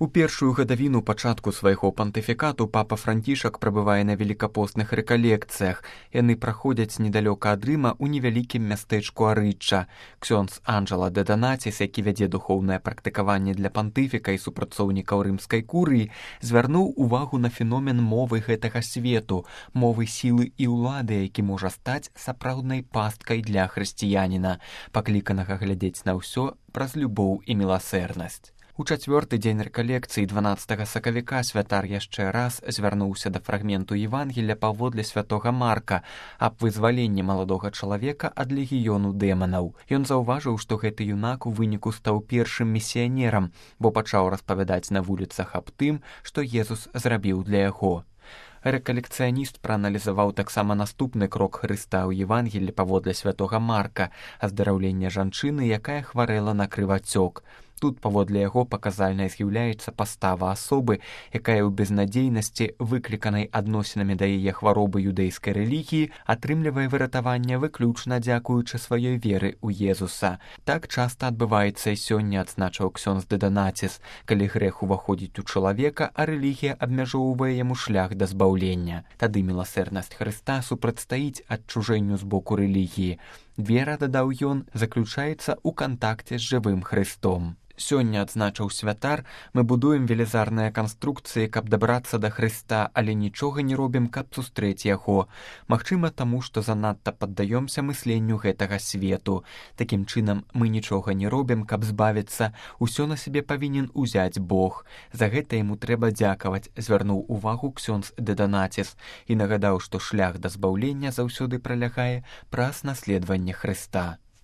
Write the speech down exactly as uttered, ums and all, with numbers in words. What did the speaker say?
У першую гадавіну пачатку свайго пантыфікату папа Францішак прабывае на велікапостных рэкалекцыях. Яны праходзяць недалёка ад Рыма ў невялікім мястэчку Арычча. Ксёндз Анджела де Донаціс, які вядзе духоўнае практыкаванне для пантыфіка і супрацоўнікаў рымскай курыі, звярнуў увагу на феномен мовы гэтага свету, мовы сілы і ўлады, які можа стаць сапраўднай пасткай для хрысціяніна, пакліканага глядзець на ўсё праз любоў і міласэрнасць. У чацвёрты дзень рэкалекцыі дванаццатага сакавіка святар яшчэ раз звярнуўся да фрагменту Евангелля паводле святога Марка аб вызваленні маладога чалавека ад легіёну дэманаў. Ён заўважыў, што гэты юнак у выніку стаў першым місіянерам, бо пачаў распавядаць на вуліцах аб тым, што Езус зрабіў для яго. Рэкалекцыяніст прааналізаваў таксама наступны крок Хрыста ў Евангеллі паводле святога Марка, аздараўленне жанчыны, якая хварэла на крывацёк. Тут паводле яго паказальнай з'яўляецца пастава асобы, якая ў безнадзейнасці, выкліканай адносінамі да яе хваробы юдэйскай рэлігіі, атрымлівае выратаванне выключна дзякуючы сваёй веры ў Езуса. Так часта адбываецца і сёння, адзначыў ксёндз де Донаціс, калі грэх уваходзіць у чалавека, а рэлігія абмяжоўвае яму шлях да збаўлення. Тады міласэрнасць Хрыста супрацьстаіць адчужэнню з боку рэлігіі. Вера, дадаў ён, заключаецца ў кантакце з жывым Хрыстом. Сёння, адзначыў святар, мы будуем велізарныя канструкцыі, каб дабрацца да Хрыста, але нічога не робім, каб сустрэць яго. Магчыма, таму, што занадта паддаёмся мысленню гэтага свету. Такім чынам, мы нічога не робім, каб збавіцца, усё на сябе павінен узяць Бог. За гэта яму трэба дзякаваць, звярнуў увагу ксёндз де Донаціс і нагадаў, што шлях да збаўлення заўсёды пралягае праз наследаванне Хрыста.